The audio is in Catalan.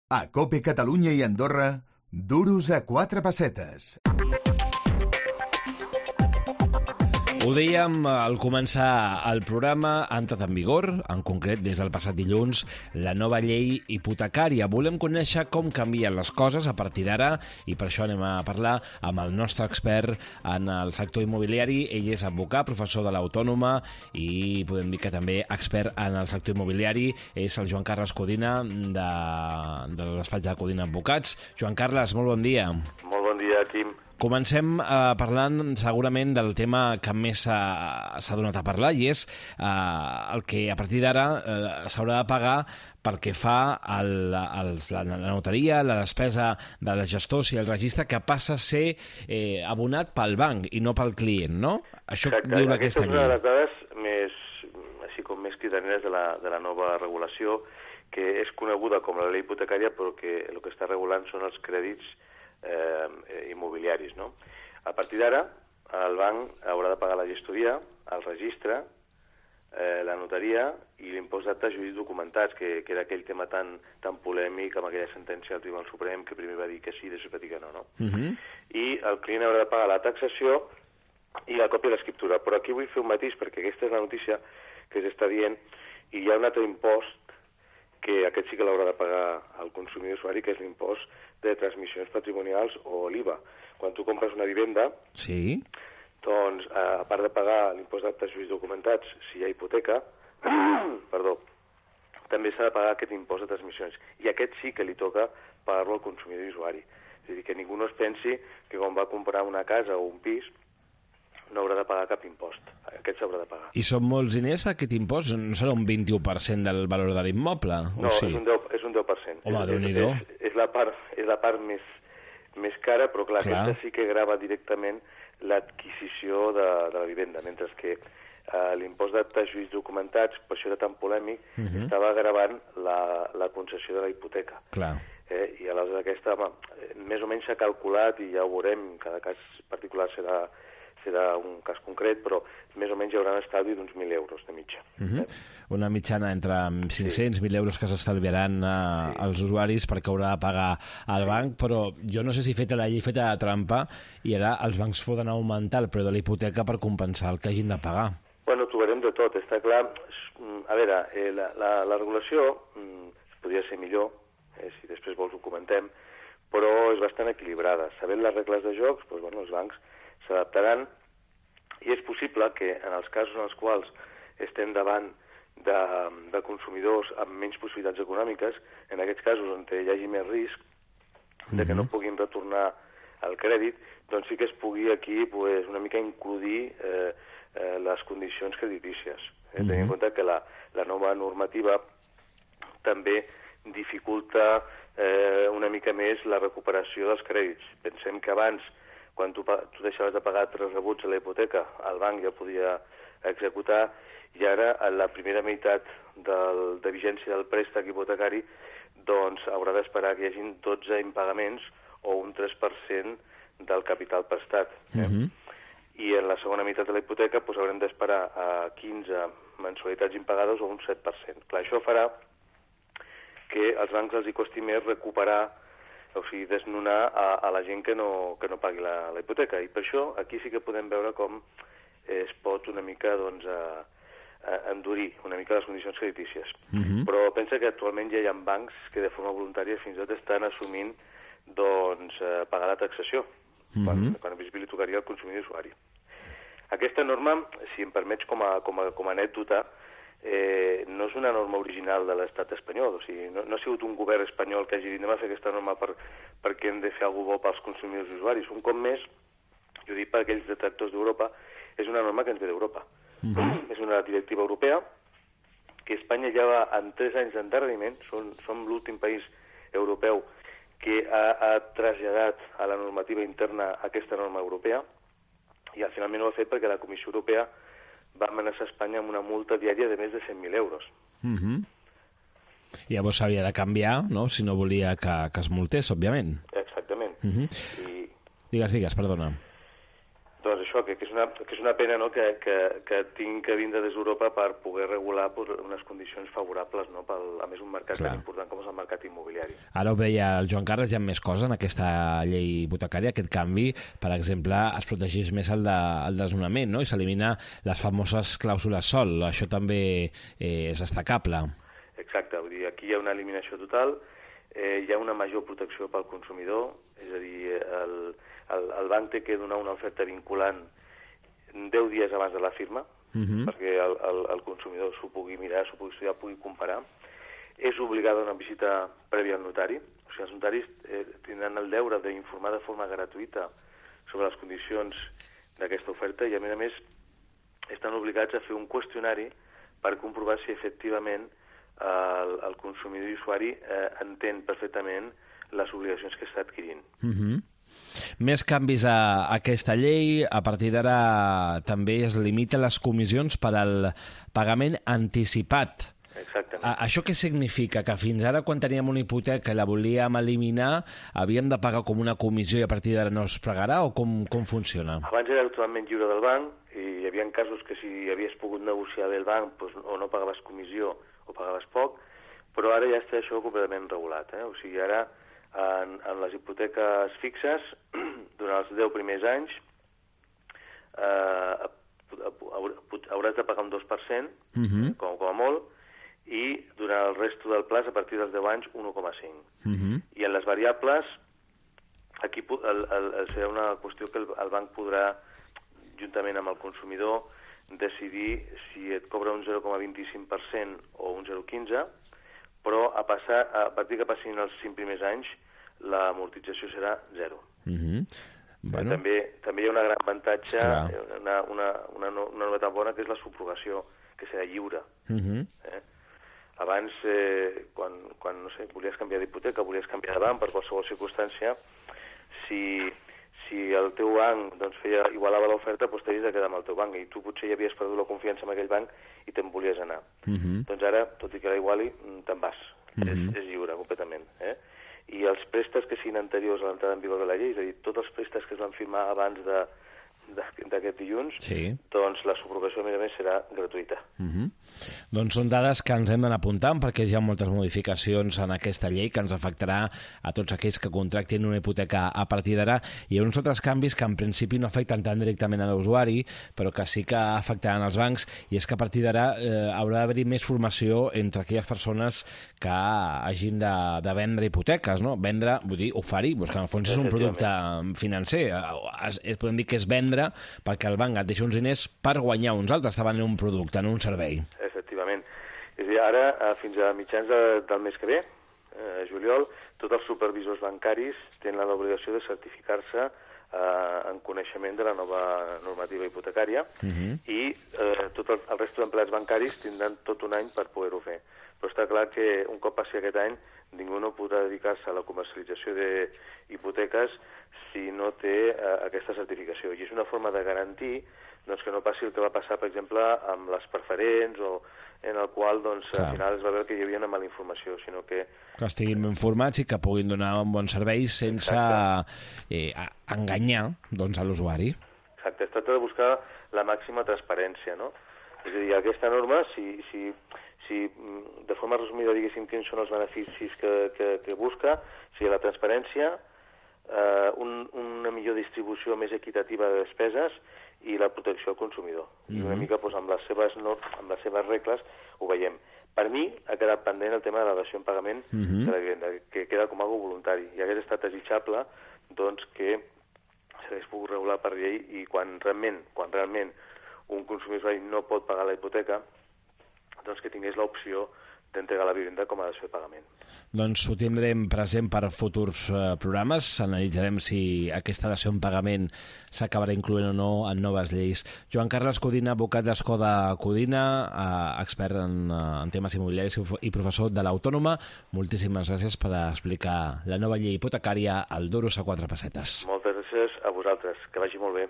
A COPE Catalunya i Andorra, duros a 4 pessetes. Ho dèiem al començar el programa, ha entrat en vigor, en concret des del passat dilluns, la nova llei hipotecària. Volem conèixer com canvien les coses a partir d'ara i per això anem a parlar amb el nostre expert en el sector immobiliari. Ell és advocat, professor de l'Autònoma i podem dir que també expert en el sector immobiliari. És el Joan Carles Codina de despatx de Codina Advocats. Joan Carles, molt bon dia. Molt bon dia, Quim. Comencem parlant segurament del tema que més s'ha donat a parlar i és el que a partir d'ara s'haurà de pagar pel que fa a la notaria, la despesa de les gestors i el registre, que passa a ser abonat pel banc i no pel client, no? Això diu aquesta llei. Aquesta és una de les dades així com més cridaneres de la nova regulació, que és coneguda com la llei hipotecària, però que el que està regulant són els crèdits immobiliaris, no? A partir d'ara, el banc haurà de pagar la gestoria, el registre, la notaria i l'impost d'actes jurídics documentats, que era aquell tema tan polèmic amb aquella sentència del Tribunal Suprem que primer va dir que sí i després va dir que no, no? I el client haurà de pagar la taxació i la còpia de l'escriptura. Però aquí vull fer un matís, perquè aquesta és la notícia que s'està dient, i hi ha un altre impost que aquest sí que l'haurà de pagar el consumidor usuari, que és l'impost de transmissions patrimonials o l'IVA. Quan tu compres una vivenda, sí, doncs, a part de pagar l'impost d'actes jurídics documentats, si hi ha hipoteca, també s'ha de pagar aquest impost de transmissions. I aquest sí que li toca pagar-lo al consumidor usuari. És a dir, que ningú no es pensi que quan va comprar una casa o un pis no haurà de pagar cap impost. Aquest s'haurà de pagar. I són molts diners, aquest impost? No serà un 21% del valor de l'immoble? No, sí? és un 10%. Home, Déu-n'hi-do. És la part més cara, però clar, aquesta sí que grava directament l'adquisició de la vivenda, mentre que l'impost d'actes jurídics documentats, per això era tan polèmic, estava gravant la concessió de la hipoteca. Clar. I aleshores aquesta, més o menys s'ha calculat, i ja ho veurem, cada cas particular serà un cas concret, però més o menys hi haurà un estalvi d'uns 1.000 euros de mitja. Una mitjana entre 500 i 1.000 euros que s'estalviaran als usuaris perquè haurà de pagar al banc, però jo no sé si feta la llei feta de trampa i ara els bancs poden augmentar el preu de la hipoteca per compensar el que hagin de pagar. Bueno, trobarem de tot, està clar. A veure, la regulació podria ser millor, si després vols ho comentem, però és bastant equilibrada. Sabent les regles de jocs, doncs, els bancs s'adaptaran, i és possible que en els casos en els quals estem davant de consumidors amb menys possibilitats econòmiques, en aquests casos on hi hagi més risc de que no puguin retornar el crèdit, doncs sí que es pugui aquí una mica incluir les condicions creditícies. Tenint en compte que la nova normativa també dificulta una mica més la recuperació dels crèdits. Pensem que abans, quan tu deixaves de pagar 3 rebuts a la hipoteca, el banc ja podia executar, i ara, a la primera meitat de vigència del préstec hipotecari, doncs haurà d'esperar que hi hagin 12 impagaments o un 3% del capital prestat. I en la segona meitat de la hipoteca haurem d'esperar a 15 mensualitats impagades o un 7%. Clar, això farà que als bancs els hi costi més recuperar, o sigui, desnonar a la gent que no pagui la hipoteca. I per això aquí sí que podem veure com es pot una mica endurir una mica les condicions creditícies. Però pensa que actualment ja hi ha bancs que de forma voluntària fins i tot estan assumint pagar la taxació, quan a més li tocaria al consumidor usuari. Aquesta norma, si em permets com a anècdota, no és una norma original de l'estat espanyol, o sigui, no ha sigut un govern espanyol que hagi dit anem a fer aquesta norma perquè hem de fer alguna cosa bo pels consumidors i usuaris. Un cop més, jo dic per aquells detractors d'Europa, és una norma que ens ve d'Europa. És una directiva europea que Espanya ja va amb 3 anys d'endarreriment, som l'últim país europeu que ha traslladat a la normativa interna aquesta norma europea, i finalment ho ha fet perquè la Comissió Europea va amenaçar Espanya amb una multa diària de més de 100.000 euros. Llavors s'havia de canviar, no?, si no volia que es multés, òbviament. Exactament. Digues, perdona. Doncs això, que és una pena, no?, que tinc que vindre des d'Europa per poder regular unes condicions favorables, no?, a més un mercat tan important com és el mercat immobiliari. Ara ho veia el Joan Carles, hi ha més coses en aquesta llei hipotecària, aquest canvi, per exemple, es protegeix més el desnonament, no?, i s'elimina les famoses clàusules sol. Això també és destacable. Exacte, vull dir, aquí hi ha una eliminació total, hi ha una major protecció pel consumidor, és a dir, el banc té que donar una oferta vinculant 10 dies abans de la firma, perquè el consumidor s'ho pugui mirar, s'ho pugui estudiar, pugui comparar. És obligada una visita prèvia al notari, o sigui, els notaris tindran el deure d'informar de forma gratuïta sobre les condicions d'aquesta oferta i, a més, estan obligats a fer un qüestionari per comprovar si efectivament el consumidor i usuari entén perfectament les obligacions que està adquirint. Més canvis a aquesta llei. A partir d'ara també es limiten les comissions per al pagament anticipat. Exactament. Això què significa? Que fins ara, quan teníem una hipoteca i la volíem eliminar, havíem de pagar com una comissió i a partir d'ara no es pagarà, o com funciona? Abans era totalment lliure del banc i hi havia casos que si havies pogut negociar bé el banc doncs, o no pagaves comissió o pagaves poc, però ara ja està això completament regulat. O sigui, ara en les hipoteques fixes, durant els 10 primers anys, hauràs de pagar un 2%, com a molt, i durant el resto del plaç, a partir dels 10 anys, 1,5%. I en les variables, aquí serà una qüestió que el banc podrà, juntament amb el consumidor, decidir si et cobra un 0,25% o un 0,15%, però a partir que passin els 5 primers anys, l'amortització serà 0. Bueno. També hi ha un gran avantatge, una novetat bona, que és la subrogació, que serà lliure. Abans, quan no sé, volies canviar d'hipoteca, volies canviar de banc per qualsevol circumstància, si el teu banc doncs, igualava l'oferta, doncs t'havies de quedar amb el teu banc, i tu potser ja havies perdut la confiança en aquell banc i te'n volies anar. Doncs ara, tot i que la iguali, te'n vas. És lliure, completament. I els préstecs que siguin anteriors a l'entrada en vigor de la llei, és a dir, tots els préstecs que es van firmar abans d'aquest dilluns, doncs la subrogació, a més, serà gratuïta. Doncs són dades que ens hem d'anar apuntant, perquè hi ha moltes modificacions en aquesta llei que ens afectarà a tots aquells que contractin una hipoteca a partir d'ara. Hi ha uns altres canvis que en principi no afecten tan directament a l'usuari, però que sí que afectaran els bancs, i és que a partir d'ara haurà d'haver-hi més formació entre aquelles persones que hagin de vendre hipoteques, no? Vendre, vull dir, oferir, que en el fons és un producte financer. Podem dir que és vendre perquè el banc et deixa uns diners per guanyar uns altres, està venent un producte, no un servei. Efectivament. És a dir, ara, fins a mitjans del mes que ve, juliol, tots els supervisors bancaris tenen l'obligació de certificar-se en coneixement de la nova normativa hipotecària i tot el resta d'empleats bancaris tindran tot un any per poder-ho fer. Però està clar que un cop passi aquest any ningú no podrà dedicar-se a la comercialització d'hipoteques si no té aquesta certificació. I és una forma de garantir que no passi el que va passar, per exemple, amb les preferents, o en el qual al final es va veure que hi havia una mala informació, sinó que estiguin ben formats i que puguin donar un bon servei sense enganyar a l'usuari. Exacte, es tracta de buscar la màxima transparència, no? És a dir, aquesta norma, si de forma resumida diguéssim quins són els beneficis que busca, si la transparència, una millor distribució més equitativa de despeses i la protecció al consumidor. I una mica amb les seves regles ho veiem. Per mi ha quedat pendent el tema de la dació en pagament de la vivenda, que queda com algo voluntari. I hauria estat desitjable que s'hagués pogut regular per llei i quan realment un consumidor no pot pagar la hipoteca, que tingués l'opció d'entregar la vivenda com a dació de pagament. Doncs ho tindrem present per futurs programes. Analitzarem si aquesta dació en pagament s'acabarà incloent o no en noves lleis. Joan Carles Codina, advocat d'Escó de Codina, expert en temes immobiliaris i professor de l'Autònoma. Moltíssimes gràcies per explicar la nova llei hipotecària al Duros a 4 pessetes. Moltes gràcies a vosaltres. Que vagi molt bé.